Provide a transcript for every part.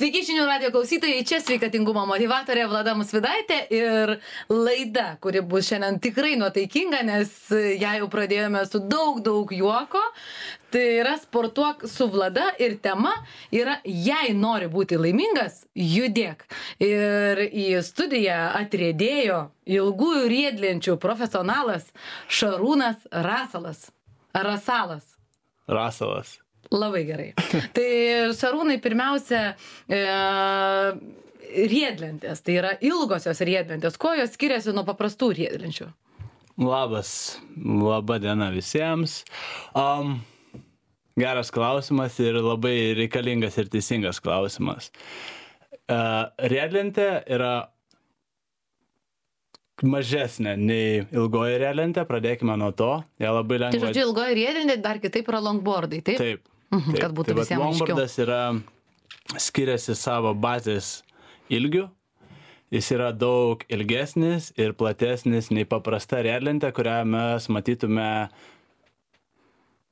Sveiki žinių radijo klausytojai, čia sveikatingumo motyvatorė Vlada Musvidaitė ir laida, kuri bus šiandien tikrai nuotaikinga, nes ją jau pradėjome su daug juoko. Tai yra sportuok su Vlada ir tema yra jei nori būti laimingas, judėk. Ir į studiją atriedėjo ilgųjų riedlenčių profesionalas Šarūnas Rasalas. Rasalas. Labai gerai. Tai Šarūnai, pirmiausia, riedlentės, tai yra ilgosios riedlentės. Kuo jos skiriasi nuo paprastų riedlenčių? Labą dieną visiems. Geras klausimas ir labai reikalingas ir teisingas klausimas. Riedlentė yra mažesnė nei ilgoji riedlentė, pradėkime nuo to. Ją labai lengva. Tai žodžiu, ilgoji riedlentė dar kitaip yra longboardai, taip? Taip. Kad būtų visiems aiškiau. Longboardas skiriasi savo bazės ilgiu. Jis yra daug ilgesnis ir platesnis nei paprasta riedlentė, kurią mes matytume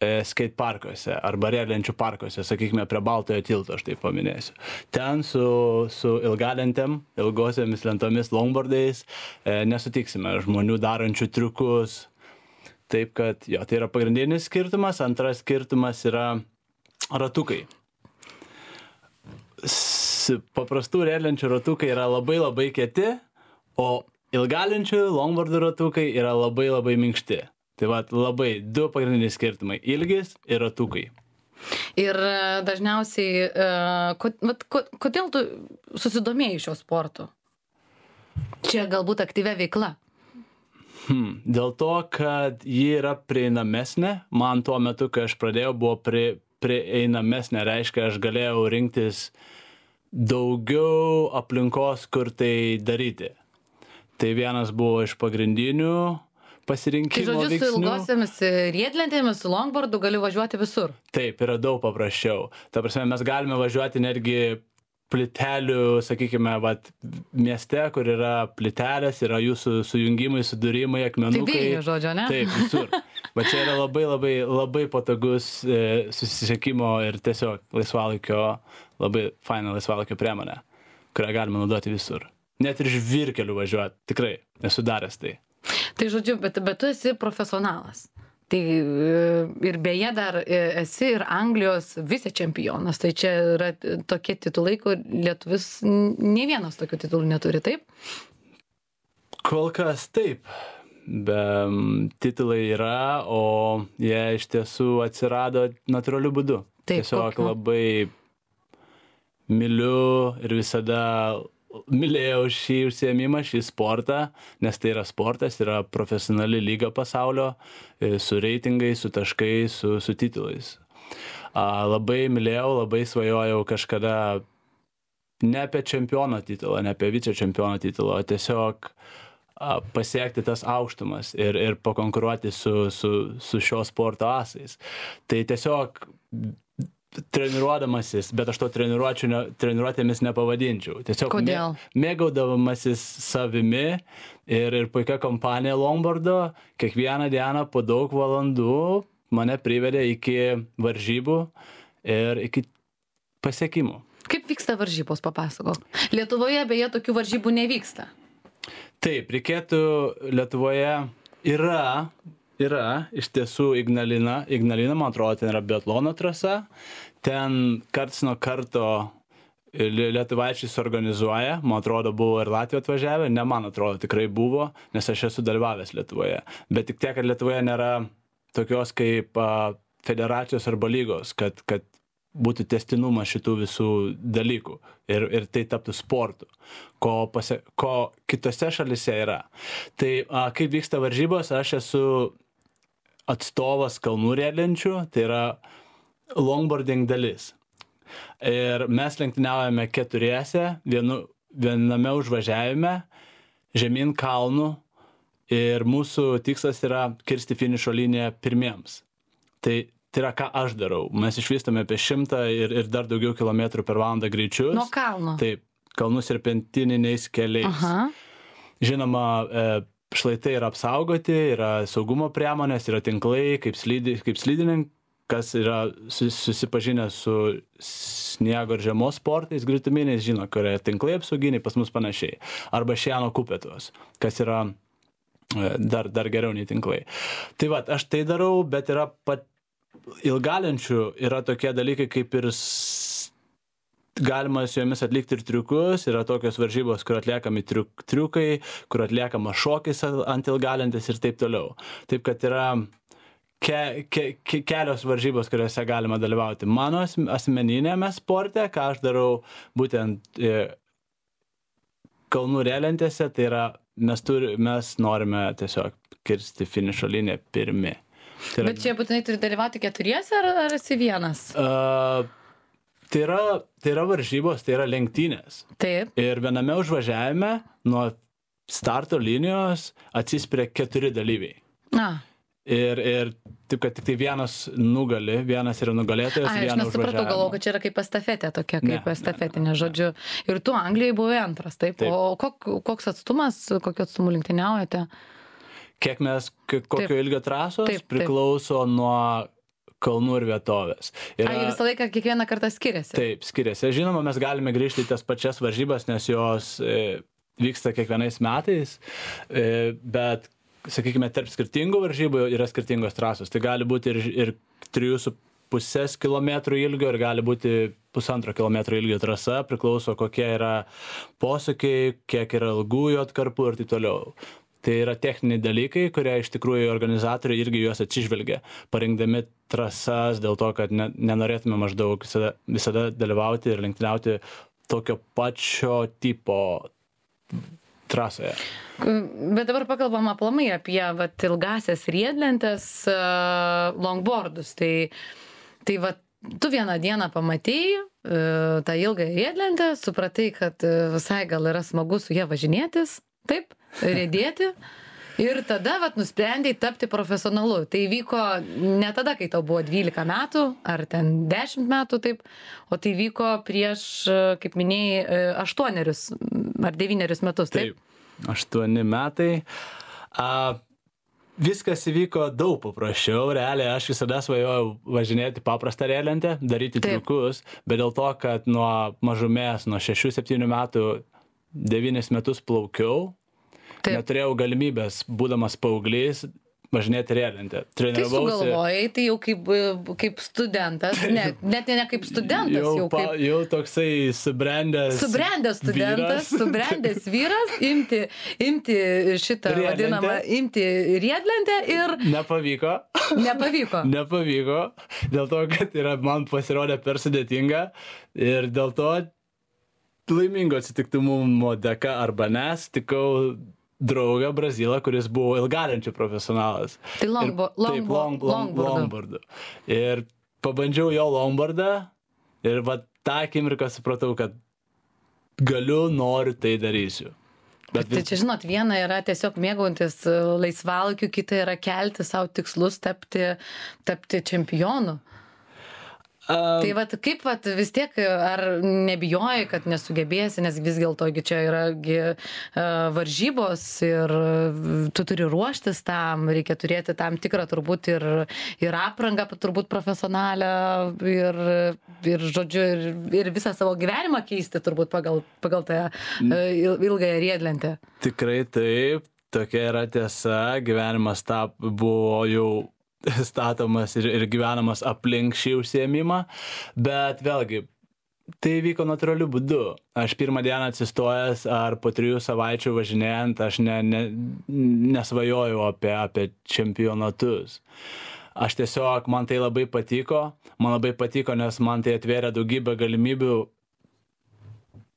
skate parkuose arba riedlenčių parkuose, sakykime, prie Baltojo tilto, aš taip paminėsiu. Ten su ilgalentėm, ilgosiamis lentomis, longboardais nesutiksime žmonių darančių triukus. Taip kad, jo, tai yra pagrindinis skirtumas. Antras skirtumas yra ratukai. Paprastų riedlenčių ratukai yra labai kieti, o ilgalenčių longboardų ratukai yra labai minkšti. Tai labai du pagrindiniai skirtumai - ilgis ir ratukai. Ir dažniausiai, kodėl tu susidomėjai šio sportu? Čia galbūt aktyvia veikla. Dėl to, kad ji yra prieinamesnė. Man tuo metu, kai aš pradėjau, buvo prieinamesnė. Reiškia, aš galėjau rinktis daugiau aplinkos, kur tai daryti. Tai vienas buvo iš pagrindinių pasirinkimo veiksnių. Tai žodžiu, su ilgosiamis riedlentėmis, su longboardu gali važiuoti visur. Taip, yra daug paprasčiau. Ta prasme, mes galime važiuoti netgi plytelių, sakykime, mieste, kur yra plytelės, yra jūsų sujungimai, sudūrimai, akmenukai. Tai Vilnius, žodžio, ne? Taip, visur. Bet čia yra labai patogus susisiekimo ir tiesiog labai faina laisvalaikio priemonė, kurią galima naudoti visur. Net ir žvyrkeliu važiuoti, tikrai, esu daręs tai. Tai žodžiu, bet tu esi profesionalas. Tai ir beje dar esi ir Anglijos vicečempionas. Tai čia yra tokie titulai, kur lietuvis nei vienas tokių titulų neturi, taip? Kol kas taip. Titulai yra, o jie iš tiesų atsirado natūraliu būdu. Taip, tiesiog labai myliu ir visada mylėjau šį užsiėmimą, šį sportą, nes tai yra sportas, yra profesionali lyga pasaulio, su reitingais, su taškais, su titulais. Labai mylėjau, labai svajojau kažkada ne apie čempiono titulą, ne apie vicečempiono titulą, o tiesiog pasiekti tas aukštumas ir pakonkuruoti su šio sporto asais. Tai tiesiog treniruodamasis, bet aš to treniruotėmis nepavadinčiau. Tiesiog mėgaudamasis savimi ir puikia kompanija longboardo, kiekvieną dieną po daug valandų mane privedė iki varžybų ir iki pasiekimų. Kaip vyksta varžybos, papasakok? Lietuvoje beje tokių varžybų nevyksta. Taip, reikėtų Lietuvoje yra iš tiesų Ignalina, man atrodo, ten yra biatlono trasa, ten karts nuo karto lietuvaičiai suorganizuoja, man atrodo, buvo ir Latvija atvažiavę, ne man atrodo, tikrai buvo, nes aš esu dalyvavęs Lietuvoje, bet tik tiek, kad Lietuvoje nėra tokios kaip federacijos arba lygos, kad būtų tęstinumas šitų visų dalykų ir tai taptų sportu, ko kitose šalyse yra. Tai kaip vyksta varžybos, aš esu atstovas kalnų riedlenčių, tai yra longboarding dalis. Ir mes lenktyniaujame keturiese, viename užvažiavime, žemyn kalnų ir mūsų tikslas yra kirsti finišo liniją pirmiems. Tai yra, ką aš darau. Mes išvystome apie 100 ir dar daugiau kilometrų per valandą greičius. Nuo kalno? Taip, kalnų serpentininiais keliais. Aha. Žinoma, šlaitai yra apsaugoti, yra saugumo priemonės, yra tinklai, kaip kas yra susipažinę su sniego ir žiemos sportais grituminiais, žino, kur yra tinklai apsauginiai, pas mus panašiai. Arba šieno kupetos, kas yra dar geriau nei tinklai. Tai va, aš tai darau, bet yra ilgalenčių yra tokie dalykai, kaip ir galima su jomis atlikti ir triukus, yra tokios varžybos, kur atliekami triukai, kur atliekama šokis ant ilgalentės ir taip toliau. Taip, kad yra kelios varžybos, kuriuose galima dalyvauti. Mano asmeninėme sporte, ką aš darau būtent kalnų riedlentėse, tai yra mes norime tiesiog kirsti finišo liniją pirmi. Tai Bet čia būtinai turi dalyvauti keturiese ar esi vienas? Tai yra varžybos, tai yra lenktynės. Taip. Ir viename užvažiavime nuo starto linijos atsispiria 4 dalyviai. Ir taip, kad tik tai vienas nugali, vienas yra nugalėtojas, vienas užvažiavimo. Aš nesupratau, galvoju, kad čia yra kaip estafetė tokia, kaip estafetinė, žodžiu. Ir tu Anglijai buvai antras, taip? O koks atstumas, kokiu atstumu lenktyniaujate? Kokio ilgio trasos priklauso nuo kalnų ir vietovės. Visą laiką kiekvieną kartą skiriasi? Taip, skiriasi. Žinoma, mes galime grįžti į tas pačias varžybas, nes jos vyksta kiekvienais metais, bet, sakykime, tarp skirtingų varžybų yra skirtingos trasos. Tai gali būti ir 3,5 km ilgio, ir gali būti 1,5 km ilgio trasa, priklauso kokie yra posūkiai, kiek yra ilgųjų atkarpų ir taip toliau. Tai yra techniniai dalykai, kurie iš tikrųjų organizatoriai irgi juos atsižvelgia, parinkdami trasas dėl to, kad nenorėtume maždaug visada dalyvauti ir lenktyniauti tokio pačio tipo trasoje. Bet dabar pakalbam aplamai apie ilgasias riedlentes, longboardus. Tai tu vieną dieną pamatei tą ilgą riedlentę, supratai, kad visai gal yra smagu su ja važinėtis, taip? Riedėti ir tada nusprendėjai tapti profesionalu. Tai vyko ne tada, kai tau buvo 12 metų ar ten 10 metų, taip, o tai vyko prieš, kaip minėjai, 8 ar 9 metus, taip? Taip, 8 metai. Viskas įvyko daug paprasčiau, realiai aš visada svajojau važinėti paprastą riedlentę, daryti triukus, bet dėl to, kad nuo mažumės, nuo 6-7 metų 9 metus plaukiau, neturėjau galimybės, būdamas paauglys, važinėti riedlentę. Tai sugalvojai, tai jau kaip studentas, net ne kaip studentas, jau toksai subrendęs studentas, subrendęs vyras, imti šitą vadinamą, imti riedlentę ir... Nepavyko. Nepavyko, dėl to, kad man pasirodė per sudėtinga ir dėl to laimingo atsitiktimumo dėka arba sutikau draugą Brazilą, kuris buvo ilgalenčių profesionalas. Tai longboardu. Ir pabandžiau jo longboardą ir tą akimirką supratau, kad noriu, tai darysiu. Tai čia, žinot, viena yra tiesiog mėgaujantis laisvalaikiu, kita yra kelti savo tikslus tapti čempionu. Tai kaip vis tiek, ar nebijoji, kad nesugebėsi, nes vis dėlto čia yra varžybos ir tu turi ruoštis tam, reikia turėti tam tikrą turbūt ir aprangą turbūt profesionalią ir žodžiu, ir visą savo gyvenimą keisti turbūt pagal tą ilgąją riedlentę. Tikrai taip, tokia yra tiesa, gyvenimas buvo jau statomas ir gyvenamas aplink šį užsiėmimą, bet vėlgi, tai vyko natūraliu būdu. Aš pirmą dieną atsistojęs ar po 3 savaičių važinėjant, aš nesvajojau apie čempionatus. Aš tiesiog, man tai labai patiko, nes man tai atvėrė daugybę galimybių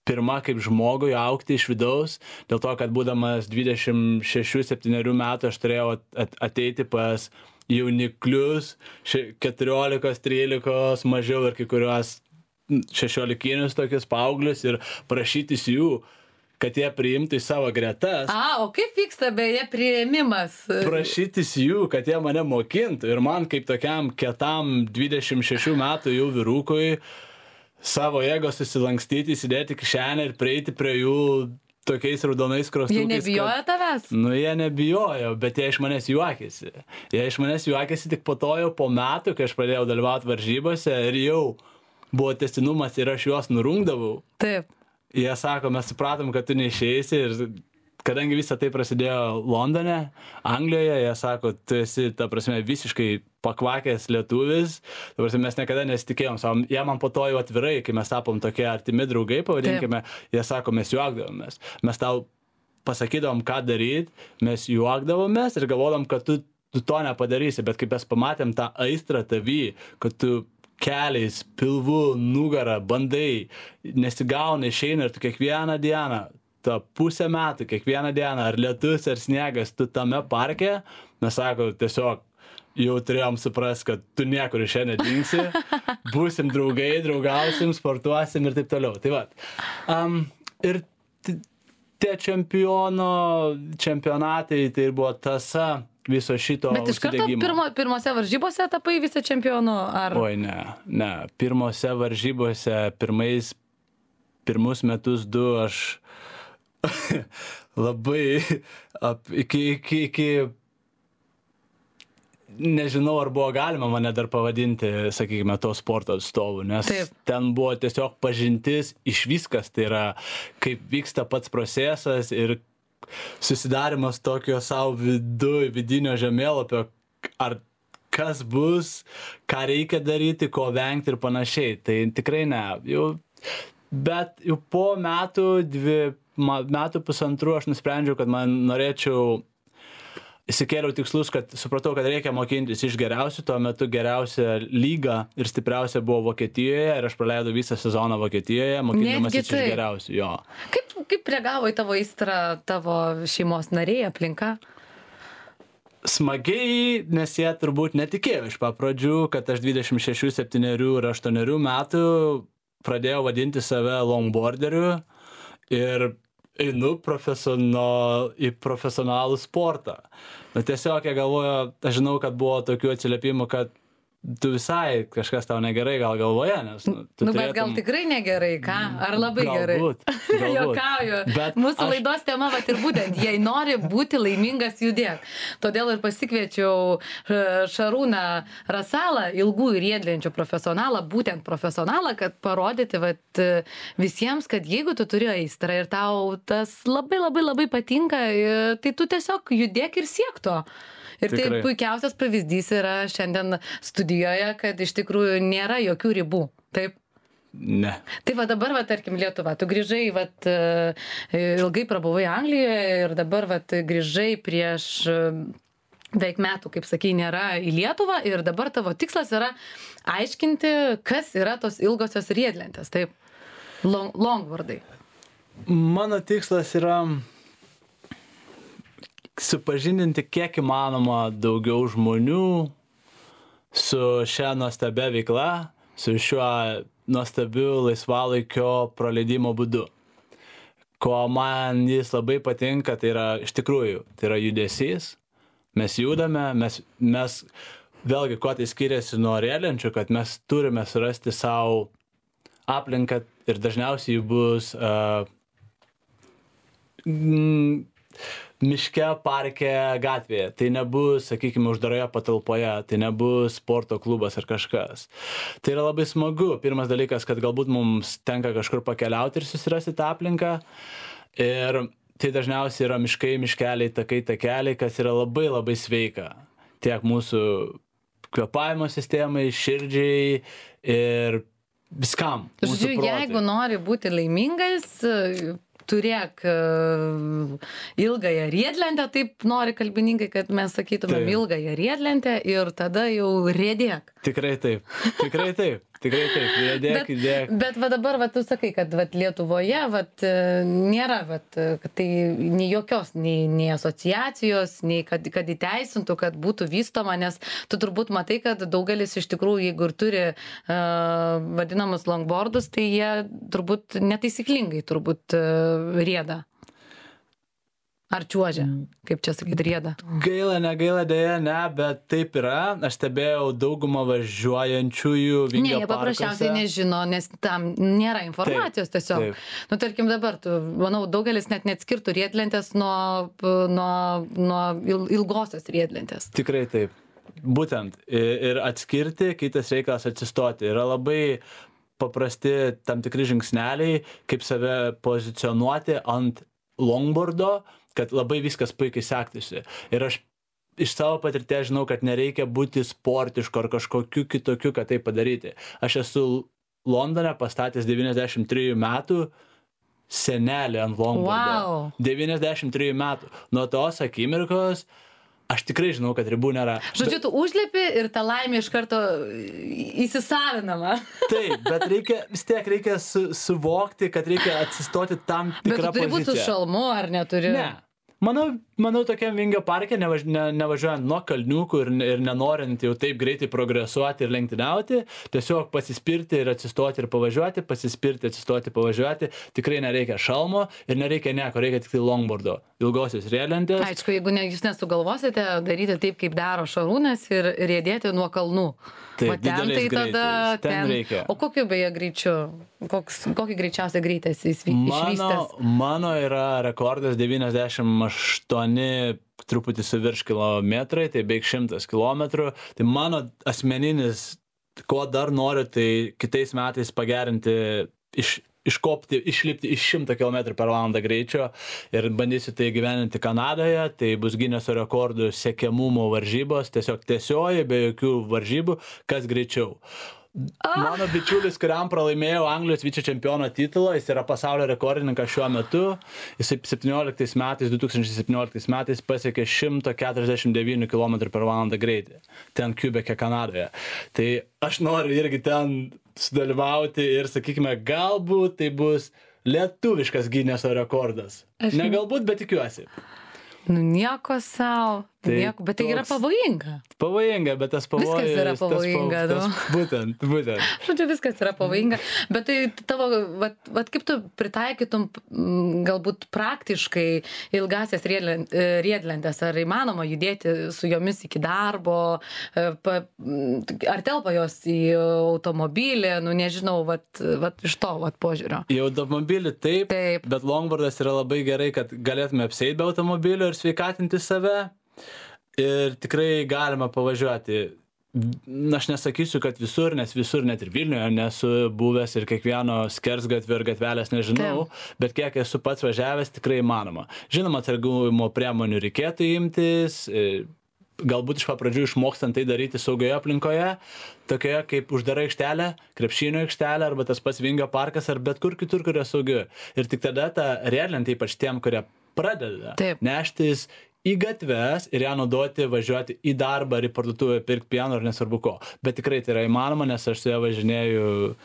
pirma kaip žmogui augti iš vidaus, dėl to, kad būdamas 26-7 metų aš turėjau ateiti pas jauniklius, 14-13 mažiau ir kai kuriuos 16 tokius paauglius ir prašytis jų, kad jie priimtų į savo gretas. O kaip vyksta beje priėmimas? Prašytis jų, kad jie mane mokintų ir man kaip tokiam kietam 26 metų jau vyrukui savo jėgos susilankstyti, įsidėti kišenę ir prieiti prie jų tokiais raudonais krostukais. Jie nebijojo tavęs? Nu, jie nebijojo, bet jie iš manęs juokėsi. Jie iš manęs juokėsi tik po to jau po metų, kai aš pradėjau dalyvauti varžybose ir jau buvo tęstinumas ir aš juos nurungdavau. Taip. Jie sako, mes supratom, kad tu neišeisi ir kadangi visą tai prasidėjo Londone, Anglijoje, jie sako, tu esi, ta prasme, visiškai pakvakęs lietuvis, ta prasme, mes niekada nesitikėjom, jie man po to jau atvirai, kai mes tapom tokie artimi draugai, pavadinkime, jie sako, mes juokdavomės, mes tau pasakydavom, ką daryti, mes juokdavomės ir galvodom, kad tu to nepadarysi, bet kai mes pamatėm tą aistrą tavį, kad tu keliais, pilvu, nugarą, bandai, nesigauna, išeina ir tu kiekvieną dieną, ta pusę metų, kiekvieną dieną, ar lietus, ar sniegas, tu tame parke, mes sako, tiesiog jau turėjom suprast, kad tu niekur iš čia nedingsi, būsim draugai, draugausim, sportuosim ir taip toliau. Tai va. Ir tie čempionatai, tai buvo tasa viso šito užsidegimo. Bet iš karto pirmose varžybose tapai vice čempionu? Ar... Oi, ne. Pirmose varžybose, pirmus metus du aš labai iki nežinau, ar buvo galima mane dar pavadinti, sakykime, to sporto atstovų, nes ten buvo tiesiog pažintis iš viskas, tai yra kaip vyksta pats procesas ir susidarimas tokio savo vidinio žemėlapio, ar kas bus, ką reikia daryti, ko vengti ir panašiai. Tai tikrai ne. Bet jau po metų pusantrų aš nusprendžiau, kad man norėčiau, įsikėliau tikslus, kad supratau, kad reikia mokintis iš geriausių, tuo metu geriausia lyga ir stipriausia buvo Vokietijoje ir aš praleidau visą sezoną Vokietijoje, mokindamas iš geriausių. Jo. Kaip reagavo į tavo aistrą tavo šeimos nariai, aplinka? Smagiai, nes jie turbūt netikėjo iš pradžių, kad aš 26, 7 ir 8 metų pradėjau vadinti save longboarderiu ir einu į profesionalų sportą. Bet tiesiog jie galvojo, aš žinau, kad buvo tokių atsiliepimų, kad tu visai kažkas tau negerai gal galvoje, nes... Bet gal tikrai negerai, ką? Ar labai gerai? Galbūt. Jokauju. Mūsų laidos tema vat ir būtent, jei nori būti laimingas, judėk. Todėl ir pasikviečiau Šarūną Rasalą, ilgų ir riedlenčių profesionalą, būtent profesionalą, kad parodyti vat visiems, kad jeigu tu turi aistrą ir tau tas labai patinka, tai tu tiesiog judėk ir siek to. Ir tai puikiausias pavyzdys yra šiandien studijoje, kad iš tikrųjų nėra jokių ribų. Taip? Ne. Tai va dabar, tarkim, Lietuva, tu grįžai, ilgai prabuvai Anglijoje ir dabar grįžai prieš beveik metų, kaip sakai, nėra į Lietuvą ir dabar tavo tikslas yra aiškinti, kas yra tos ilgosios riedlentės, taip? Longboardai. Mano tikslas yra supažindinti kiek įmanoma daugiau žmonių su šia nuostabia veikla, su šiuo nuostabiu laisvalaikio praleidimo būdu. Ko man jis labai patinka, tai yra iš tikrųjų, tai yra judesys. Mes judame, mes vėlgi, kuo tai skiriasi nuo riedlenčių, kad mes turime surasti savo aplinką ir dažniausiai bus miške, parke, gatvėje. Tai nebus, sakykime, uždaroje patalpoje, tai nebus sporto klubas ar kažkas. Tai yra labai smagu. Pirmas dalykas, kad galbūt mums tenka kažkur pakeliauti ir susirasti tą aplinką. Ir tai dažniausiai yra miškai, miškeliai, takai, takeliai, kas yra labai sveika. Tiek mūsų kvėpavimo sistemai, širdžiai ir viskam. Žodžiu, jeigu nori būti laimingas, turėk ilgąją riedlentę, taip nori kalbininkai, kad mes sakytumėm ilgąją riedlentę ir tada jau riedėk. Tikrai taip, riedėk, judėk. Bet dabar tu sakai, kad Lietuvoje nėra, kad tai nei jokios, nei asociacijos, nei kad įteisintų, kad būtų vystoma, nes tu turbūt matai, kad daugelis iš tikrųjų, jeigu ir turi vadinamus longboardus, tai jie turbūt netaisyklingai rieda. Ar čiuožia, kaip čia sakyt, rieda? Gaila, negaila, dėja, ne, bet taip yra. Aš stebėjau daugumą važiuojančiųjų Ne, Vingio jie parkuose. paprasčiausiai nežino, nes tam nėra informacijos tiesiog. taip. Nu, tarkim dabar, manau, daugelis net neatskirtų riedlentės nuo ilgosios riedlentės. Tikrai taip. Būtent. Ir atskirti, kitas reikalas atsistoti. Yra labai paprasti tam tikri žingsneliai, kaip save pozicionuoti ant longboardo, kad labai viskas puikiai sektųsi. Ir aš iš savo patirties žinau, kad nereikia būti sportišku ar kažkokiu kitokiu, kad tai padaryti. Aš esu Londone pastatęs 93 metų senelį ant longboardo. Wow. 93 metų. Nuo tos akimirkos aš tikrai žinau, kad ribų nėra. Žodžiu, tu užlipi ir ta laimė iš karto įsisavinama. Taip, bet vis tiek reikia suvokti, kad reikia atsistoti tam Bet tu tikrą turi būti su poziciją. šalmu, ar neturi? Ne. Manau tokiam Vingio parke, nevažiuojant nuo kalniukų ir nenorint jau taip greitai progresuoti ir lenktyniauti, tiesiog pasispirti ir atsistoti ir pavažiuoti, pasispirti, atsistoti, pavažiuoti. Tikrai nereikia šalmo ir nereikia nieko, reikia tik tai longboardo, ilgosios riedlentės. Aišku, jeigu jūs nesugalvosite daryti taip, kaip daro Šarūnas ir riedėti nuo kalnų. Taip, Va ten tai dideliais tada greičiais. Ten reikia. O kokiu beje greičiu? Kokį greičiausią greitą esi išvystęs? Mano yra rekordas 98 truputį su virš kilometrai, tai beveik 100 kilometrų. Tai mano asmeninis, ko dar noriu, tai kitais metais pagerinti, išlipti iš 100 km per valandą greičio ir bandysiu tai gyveninti Kanadoje. Tai bus Gineso rekordų siekiamumo varžybos, tiesiog tiesioji, be jokių varžybų, kas greičiau. Mano bičiulis, kuriam pralaimėjau Anglijos vicečempiono titulą, jis yra pasaulio rekordininkas šiuo metu. Jis 2017 metais pasiekė 149 km per valandą greitį. Ten Quebec'e, Kanadoje. Tai aš noriu irgi ten sudalyvauti ir, sakykime, galbūt tai bus lietuviškas Gineso rekordas. Ne galbūt, bet tikiuosi. Nu nieko savo. Tai Bet tai yra pavojinga. Pavojinga, bet tas pavojus... Viskas yra pavojinga, Būtent. Žodžiu, viskas yra pavojinga. Bet tai tavo, vat kaip tu pritaikytum galbūt praktiškai ilgasias riedlentės, ar įmanoma judėti su jomis iki darbo, ar telpa jos į automobilį, nu nežinau, vat iš to požiūrio. Į automobilį taip, bet longboardas yra labai gerai, kad galėtume apsieiti be automobilio ir sveikatinti save. Ir tikrai galima pavažiuoti. Aš nesakysiu, kad visur, nes visur net ir Vilniuje nesu buvęs ir kiekvieno skersgatvio ir gatvelės nežinau, bet kiek esu pats važiavęs, tikrai įmanoma. Žinoma, atsargumo priemonių reikėtų imtis, galbūt iš pradžių išmokstant tai daryti saugioje aplinkoje, tokioje kaip uždara aikštelė, krepšinio aikštelė arba tas pats Vingio parkas ar bet kur kitur, kur yra saugiu. Ir tik tada ta riedlentė, ypač tiem, kurie pradeda neštis į gatves ir ją naudoti, važiuoti į darbą ar į parduotuvę, pirkti pieno ar nesvarbu ko. Bet tikrai tai yra įmanoma, nes aš su ją važinėju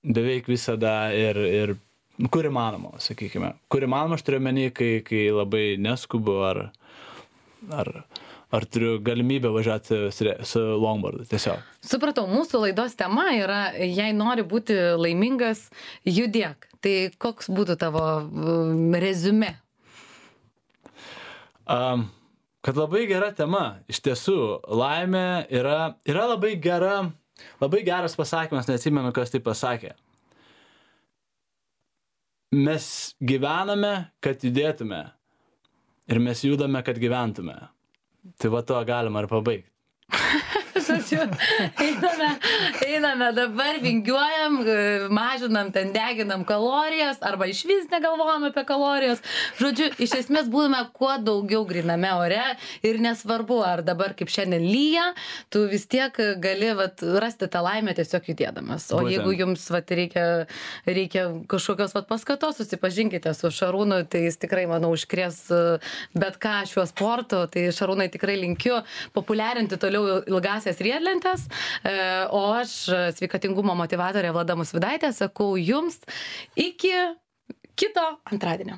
beveik visada ir kur įmanoma, sakykime. Kur įmanoma, aš turiu menį, kai labai neskubu ar turiu galimybę važiuoti su longboardu, tiesiog. Supratau, mūsų laidos tema yra, jei nori būti laimingas, judėk. Tai koks būtų tavo reziumė? Kad labai gera tema, iš tiesų, laimė yra labai geras pasakymas, neatsimenu, kas tai pasakė. Mes gyvename, kad judėtume ir mes judame, kad gyventume. Tai va to galima ir pabaigti. Žodžiu, einame dabar, vingiuojam, mažinam, ten deginam kalorijas, arba išvis negalvojam apie kalorijas. Žodžiu, iš esmės būtume kuo daugiau gryname ore ir nesvarbu, ar dabar kaip šiandien lyja, tu vis tiek gali rasti tą laimę tiesiog judėdamas. O jeigu jums reikia kažkokios paskatos, susipažinkite su Šarūnu, tai jis tikrai, manau, užkrės bet ką šiuo sportu. Tai Šarūnai tikrai linkiu populiarinti toliau ilgasias riedlentės, o aš, sveikatingumo motyvatorė Vlada Musvydaitė, sakau jums iki kito antradienio.